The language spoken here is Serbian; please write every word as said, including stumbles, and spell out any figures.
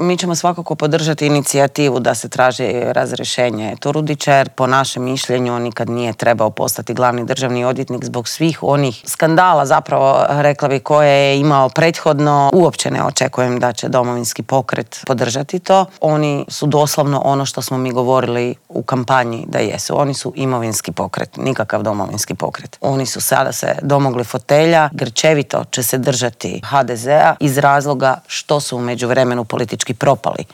Mi ćemo svakako podržati inicijativu da se traži razrješenje Turudića, jer po našem mišljenju on nikad nije trebao postati glavni državni odvjetnik zbog svih onih skandala, zapravo rekla bi, koje je imao prethodno. Uopće ne očekujem da će Domovinski pokret podržati to. Oni su doslovno ono što smo mi govorili u kampanji da jesu. Oni su imovinski pokret, nikakav Domovinski pokret. Oni su sada se domogli fotelja, grčevito će se držati ha de zea iz razloga što su u međuvremenu politički propali.